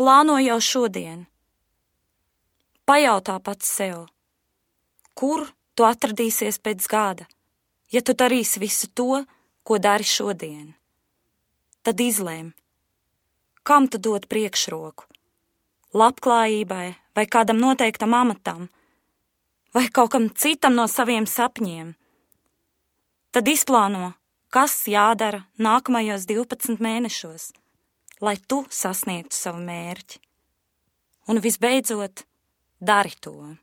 Plāno jau šodien. Pajautā pats sev, kur tu atradīsies pēc gada, ja tu darīsi visu to, ko dari šodien. Tad izlēm, kam tu dod priekšroku, labklājībai vai kādam noteiktam amatam, vai kaut kam citam no saviem sapņiem. Tad izplāno, kas jādara nākamajos 12 mēnešos, lai tu sasniegtu savu mērķi. Un visbeidzot, dari to.